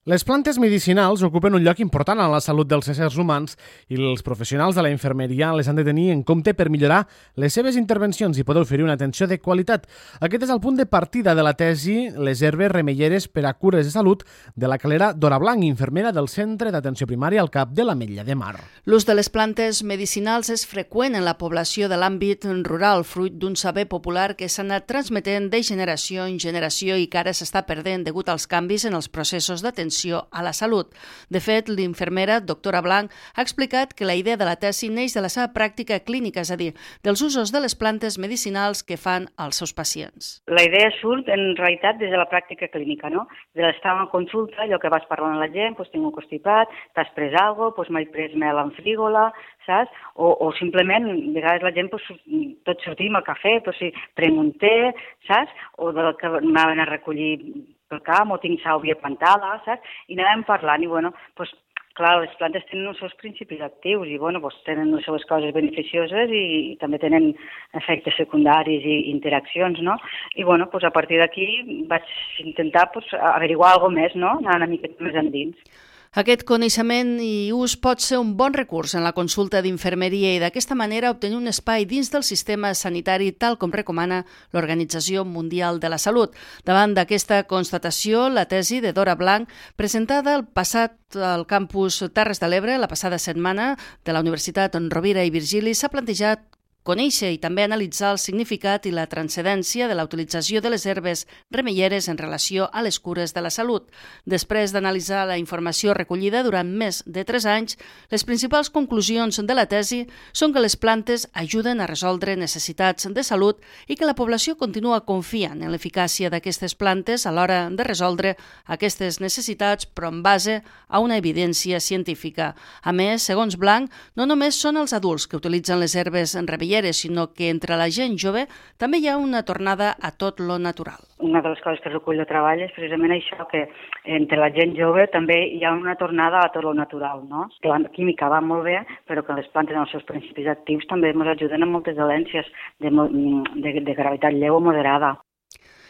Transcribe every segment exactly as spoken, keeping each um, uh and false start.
Les plantes medicinals ocupen un lloc important en la salut dels éssers humans i els professionals de la infermeria les han de tenir en compte per millorar les seves intervencions i poder oferir una atenció de qualitat. Aquest és el punt de partida de la tesi Les herbes remeieres per a cures de salut de la calera Dora Blanc, infermera del Centre d'Atenció Primària al Cap de l'Ametlla de Mar. L'ús de les plantes medicinals és freqüent en la població de l'àmbit rural, fruit d'un saber popular que s'ha anat transmetent de generació en generació i que ara s'està perdent degut als canvis en els processos d'atenció a la salut. De fet, l'infermera doctora Blanc ha explicat que la idea de la tesi neix de la seva pràctica clínica, és a dir, dels usos de les plantes medicinals que fan als seus pacients. La idea surt, en realitat, des de la pràctica clínica, no? De l'estar a una consulta, allò que vas parlant amb la gent, doncs tinc un constipat, t'has pres alguna cosa, doncs m'he pres mel amb frígola, saps? O, o simplement, a vegades la gent, doncs, tots sortim al cafè, doncs si prenc un té, saps? O del que m'anaven a recollir pel camp, o tinc sàlvia plantada, saps? I anàvem parlant, i bueno, doncs, clar, les plantes tenen els seus principis actius i, bueno, doncs tenen les seves coses beneficioses i, i també tenen efectes secundaris i interaccions, no? I, bueno, doncs a partir d'aquí vaig intentar doncs, averiguar alguna més, no? Anar una mica més endins. Aquest coneixement i ús pot ser un bon recurs en la consulta d'infermeria i d'aquesta manera obtenir un espai dins del sistema sanitari tal com recomana l'Organització Mundial de la Salut. Davant d'aquesta constatació, la tesi de Dora Blanc, presentada el passat al campus Terres de l'Ebre la passada setmana de la Universitat Rovira i Virgili, s'ha plantejat conèixer i també analitzar el significat i la transcendència de la utilització de les herbes remeieres en relació a les cures de la salut. Després d'analitzar la informació recollida durant més de tres anys, les principals conclusions de la tesi són que les plantes ajuden a resoldre necessitats de salut i que la població continua confiant en l'eficàcia d'aquestes plantes a l'hora de resoldre aquestes necessitats, però en base a una evidència científica. A més, segons Blanc, no només són els adults que utilitzen les herbes remeieres, sinó que entre la gent jove també hi ha una tornada a tot lo natural. Una de les coses que recull el treball és precisament això, que entre la gent jove també hi ha una tornada a tot lo natural, no? Que la química va molt bé, però que les plantes en els seus principis actius també ens ajuden en moltes dolències de, de, de gravetat lleu o moderada.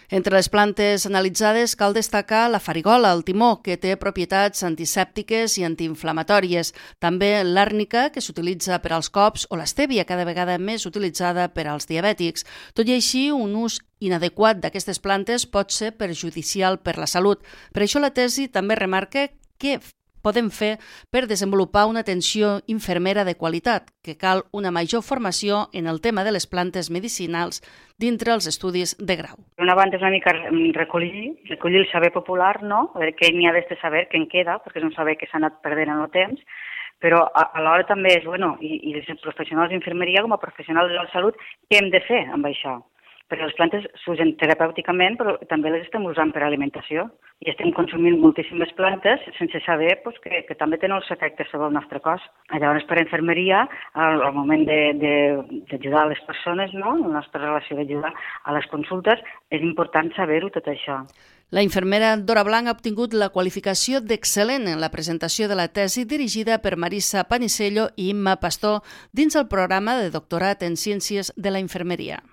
Entre les plantes analitzades cal destacar la farigola, el timó, que té propietats antisèptiques i antiinflamatòries. També l'àrnica, que s'utilitza per als cops, o l'estèvia, cada vegada més utilitzada per als diabètics. Tot i així, un ús inadequat d'aquestes plantes pot ser perjudicial per la salut. Per això la tesi també remarca que podem fer per desenvolupar una atenció infermera de qualitat, que cal una major formació en el tema de les plantes medicinals dintre els estudis de grau. Una banda és una mica recollir, recollir el saber popular, no? A veure què n'hi ha d'este saber, què en queda, perquè és un saber que s'ha anat perdent en el temps, però alhora també és, bueno, i, i els professionals d'infermeria com a professionals de la salut, què hem de fer amb això? Perquè les plantes s'usen terapèuticament, però també les estem usant per alimentació i estem consumint moltíssimes plantes sense saber pues, que, que també tenen els efectes sobre el nostre cos. Llavors, per infermeria, al, al moment d'ajudar les persones, no? La nostra relació d'ajudar a les consultes, és important saber-ho tot això. La infermera Dora Blanc ha obtingut la qualificació d'excel·lent en la presentació de la tesi dirigida per Marissa Panisello i Imma Pastor dins el programa de doctorat en Ciències de la Infermeria.